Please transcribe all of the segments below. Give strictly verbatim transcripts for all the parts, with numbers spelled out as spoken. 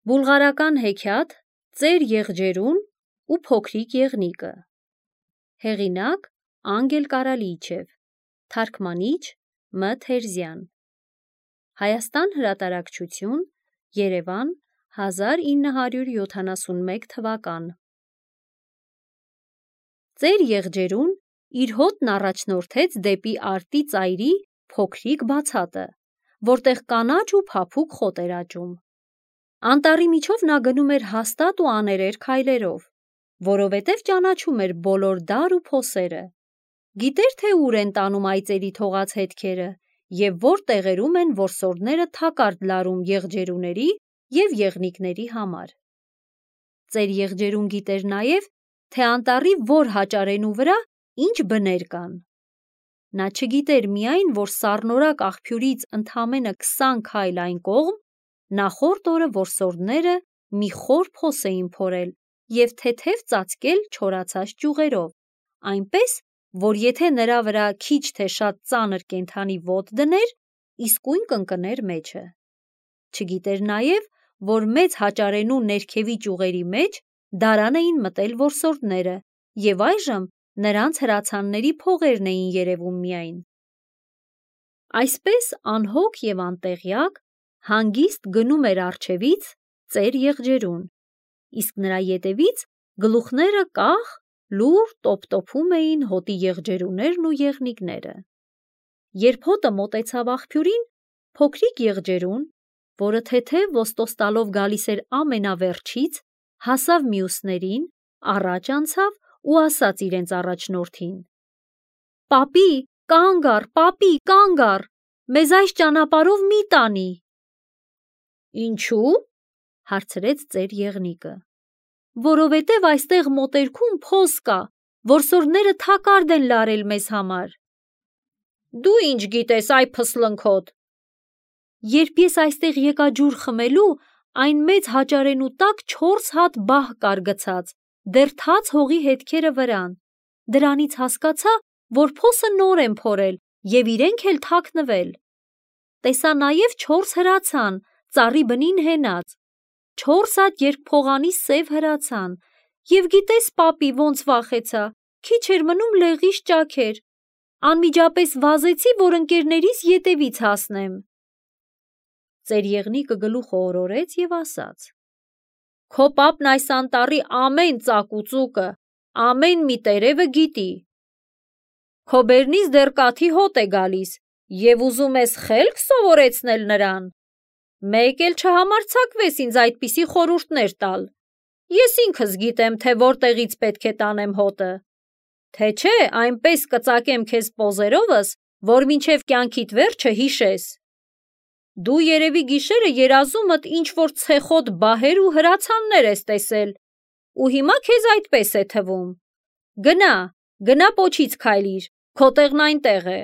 Բուլղարական հեքիաթ Ծեր եղջերուն ու փոքրիկ եղնիկը։ Հեղինակ Անգել Կարալիչև, թարգմանիչ Մ. Թերզյան։ Հայաստան հրատարակչություն, Երևան, հազար ինը հարյուր յոթանասունմեկ թվական։ Ծեր եղջերուն իր հոտն առաջնորդեց դեպի արտի ծայրի փոքրիկ բացատը, որտեղ կանաչ ու փափուկ խոտ էր աճում։ Անտառի միջով նա գնում էր հաստատ ու աներեր քայլերով, որովհետև ճանաչում էր բոլոր դար ու փոսերը։ Գիտեր, թե ուր են տանում այծերի թողած հետքերը և որ տեղերում են որսորդները թակարդ լարում եղջերուների և եղնիկների համար։ Ծեր եղջերուն գիտեր նաև, թե անտառի որ հաճարենու վրա ինչ բներ կան։ Նա չգիտեր միայն, որ սառնորակ աղբյուրից ընդամենը քսան քայլ այն կողմ նախորդ օրը որսորդները մի խոր փոս էին փորել և թեթև ծածկել չորացած ճյուղերով, այնպես, որ եթե նրա վրա քիչ թե շատ ծանր կենդանի ոտք դներ, իսկույն կընկներ մեջը։ Չգիտեր նաև, որ մեծ հաճարենու ներքևի ճյուղերի մեջ դարան էին մտել որսորդները և այժմ նրանց հրացանների փողերն էին երևում միայն։ Այսպես անհոգ և անտեղյակ հանգիստ գնում էր առջևից ծեր եղջերուն, իսկ նրա ետևից գլուխները կախ լուռ տոփ-տոփում էին հոտի եղջերուներն ու եղնիկները։ Երբ հոտը մոտեցավ աղբյուրին, փոքրիկ եղջերուն, որը թեթև ոստոստալով գալիս էր ամենավերջից, հասավ մյուսներին, առաջ անցավ ու ասաց իրենց առաջնորդին. «Պապի, կանգ առ, պապի, կանգ առ, մեզ այս ճանապարհով մի տանի»։ «Ինչու՞» հարցրեց ծեր եղնիկը։ «Որովհետև այստեղ մոտերքում փոս կա, որսորդները թակարդ են լարել մեզ համար»։ «Դու ի՞նչ գիտես, այ փսլնքոտ»։ «Երբ ես այստեղ եկա ջուր խմելու, այն մեծ հաճարենու տակ չորս հատ բահ կար գցած, դեռ թաց հողի հետքերը վրան, դրանից հասկացա, որ փոսը նոր են փորել և իրենք էլ թաքնվել։ Տեսա նաև չորս հրացան, ծառի բնին հենած, չորս հատ երկփողանի սև հրացան, և գիտես, պապի, ոնց վախեցա, քիչ էր մնում լեղիս ճաքեր, անմիջապես վազեցի, որ ընկերներիս ետևից հասնեմ»։ Ծեր եղնիկը գլուխը օրորեց և ասաց. «Քո պապն այս անտառի ամեն ծակ ու ծուկը, ամեն մի տերևը գիտի։ Քո բերնից դեռ կաթի հոտ է գալիս և ուզում ես խելք սովորեցնել նրան։ Մեկ էլ չհամարձակվես ինձ այդպիսի խորհուրդներ տալ։ Ես ինքս գիտեմ, թե որտեղից պետք է տանեմ հոտը, թե չէ այնպես կծակեմ քեզ պոզերովս, որ մինչև կյանքիդ վերջը հիշես։ Դու երևի գիշերը երազումդ ինչ-որ ցեխոտ բահեր ու հրացաններ ես տեսել ու հիմա քեզ այդպես է թվում։ Գնա, գնա պոչից քայլիր, քո տեղն այնտեղ է»։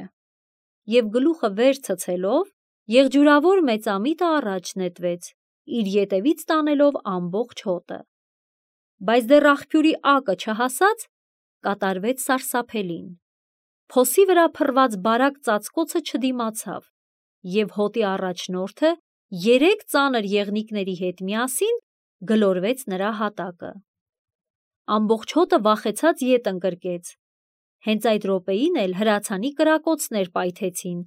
Եվ գլուխը վեր ցցելով, եղջյուրավոր մեծամիտը առաջ նետվեց, իր ետևից տանելով ամբողջ հոտը։ Բայց դեռ աղբյուրի ակը չհասած, կատարվեց սարսափելին։ Փոսի վրա փռված բարակ ծածկոցը չդիմացավ, և հոտի առաջնորդը երեք ծանր եղնիկների հետ միասին գլորվեց նրա հատակը։ Ամբողջ հոտը վախեցած ետ ընկրկեց։ Հենց այդ րոպեին էլ հրացանի կրակոցներ պայթեցին,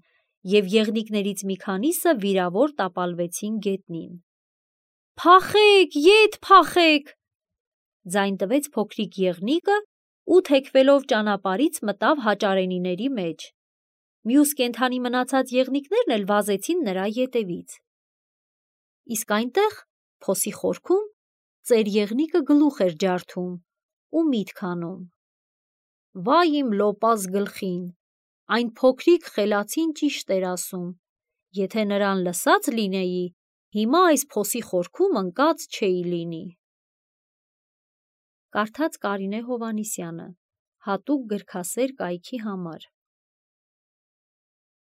և եղնիկներից մի քանիսը վիրավոր տապալվեցին գետնին։ «Փախեք, ետ փախեք»։ ձայն տվեց փոքրիկ եղնիկը ու թեքվելով ճանապարհից մտավ հաճարենիների մեջ։ Մյուս կենդանի մնացած եղնիկներն էլ վազեցին նրա ետևից։ Իսկ այնտեղ, փոսի խորքում, ծեր եղնիկը գլուխ էր ջարդում ու միտք անում. «Վայ իմ լոպազ գլխին, այն փոքրիկ խելացին ճիշտ էր ասում, եթե նրան լսած լինեի, հիմա այս փոսի խորքում ընկած չէի լինի»։ Կարդաց Կարինե Հովհաննիսյանը, հատուկ գրքասեր կայքի համար։